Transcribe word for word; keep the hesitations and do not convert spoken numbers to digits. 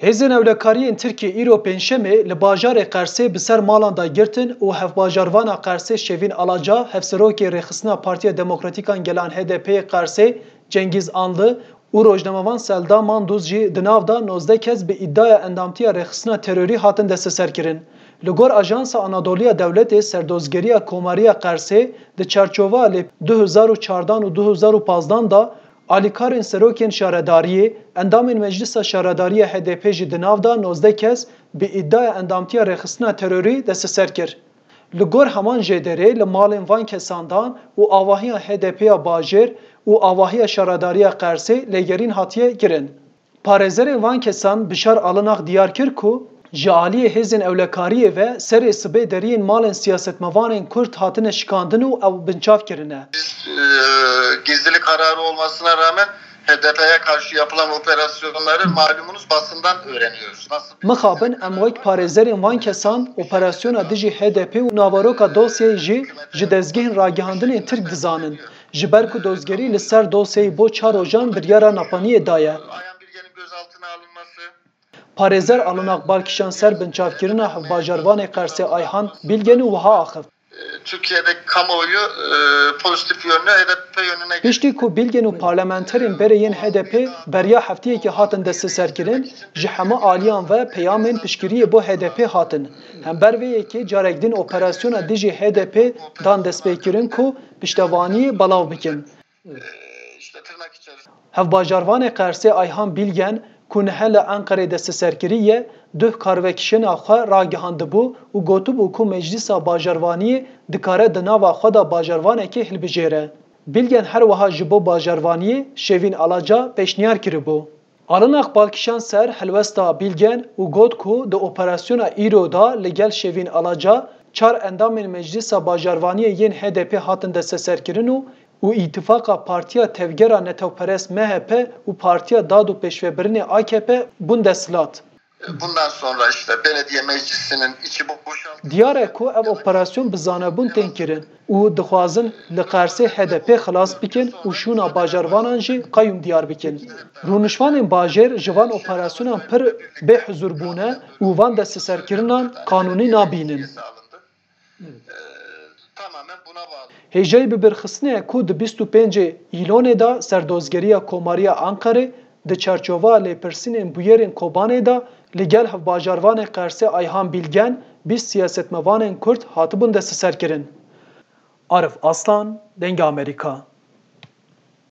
Hêzên ewlekariyên Tirkiyê îro Pêncşemê li bajarê Qersê bi ser malan de girtin û hevbajarvana Qersê Şevîn Alaca, hevserokê Rêxistina Partiya Demokratîk a Gelan H D P yê Qersê Cengîz Anlı û rojnamevan Selda Manduz jî di nav de nozdeh kes bi îdiaya endamtiya rêxistina terorî hatin desteserkirin. Li gor Ajansa Anadolu ya Dewletê, serdozgeriya Komariya Qersê di çarçova lê du hezar û çardan û du hezar û pazdan de alîkarên serokên şaredariyê, endamên Meclisa Şaredarî ya H D P jî di nav de nozdeh kes bi îdiaya endamtiya rêxistina terorî desteser kir. Li gor heman jêderê li malên van kesan dan û avahiya H D P ya bajêr û avahiya Şaredariya Qersê lêgerîn hatiye kirin. Parêzerên van kesan Bişar Alinak diyar kir ku ji aliyê hêzên ewlekariyê ve serê sibê deriyên malên siyasetmevanên Kurd hatine şikandin û ew binçav kirine. Biz e, gizlilik kararı olmasına rağmen H D P'ye karşı yapılan operasyonları malumunuz basından öğreniyoruz. Nasıl Mixabin em wek parêzerên van kesan operasyona dijî H D P û naveroka dosyayê jî ji dezgehên ragihandinên Tirk dizanin. Ji ber ku dozgerî li ser dosyayê bo çar rojan biryara napaniyê daye. Ayhan Bilge'nin gözaltına alınması. Parêzer Alinak bal kişand ser binçavkirina hevbajarvanê Qersê Ayhan Bilgen û wiha axift. Türkiye'de kamuoyu e, pozitif yönlü H D P yönüne geçti. Piştî ku Bilgen û parlamenterên berê yên H D P beriya heftiyekê hatin desteserkirin, ji hemû aliyan ve peyamên piştgiriyê bo H D P hatin. Hember vê yekê carek din operasyona dijî H D P dan destpêkirin ku piştevaniyê belav bikin. İşte tırnak içerisinde. Hevbajarvanê Qersê Ayhan Bilgen ku niha li Enqerê desteserkirî ye, duh karvekişêna xwe ragihandibû û gotibû ku Meclisa Bajarvaniyê dikare di nava xwe de bajarvanekê hilbijêre. Bilgen her wiha ji bo bajarvaniyê Şevîn Alaca pêşniyar kiribû. Alinak bal kişand ser helwesta Bilgen û got ku di operasyona îro de li gel Şevîn Alaca çar endamên Meclisa Bajarvaniyê yên H D P hatin desteserkirin û û îtifaqa Partiya Tevgera Netewperest M H P û Partiya Dad û Pêşvebirinê A K P bûn desthilat. Bundan sonra işte belediye meclisinin içi boşaltıldı. Diyar e ku ev operasyon bi zanebûn tên kirin û dixwazin li Qersê H D P xilas bikin û şûna bajarvanan jî qeyûm diyar bikin. Rûnişvanên bajêr ji van operasyonan pir bêhizûr bûne û van desteserkirinan qanûnî nabînin. Tamamen buna bağlı. Hêjayî bibirxistinê ye ku di bîst û pêncê Îlonê de serdozgeriya Komariya Enqerê di çarçova lêpirsînên bûyerên Kobanê de li gel hevbajarvanê Qersê Ayhan Bilgen bîst siyasetmevanên Kurd hatibûn desteserkirin. Arif Aslan, Dengê Amerîka.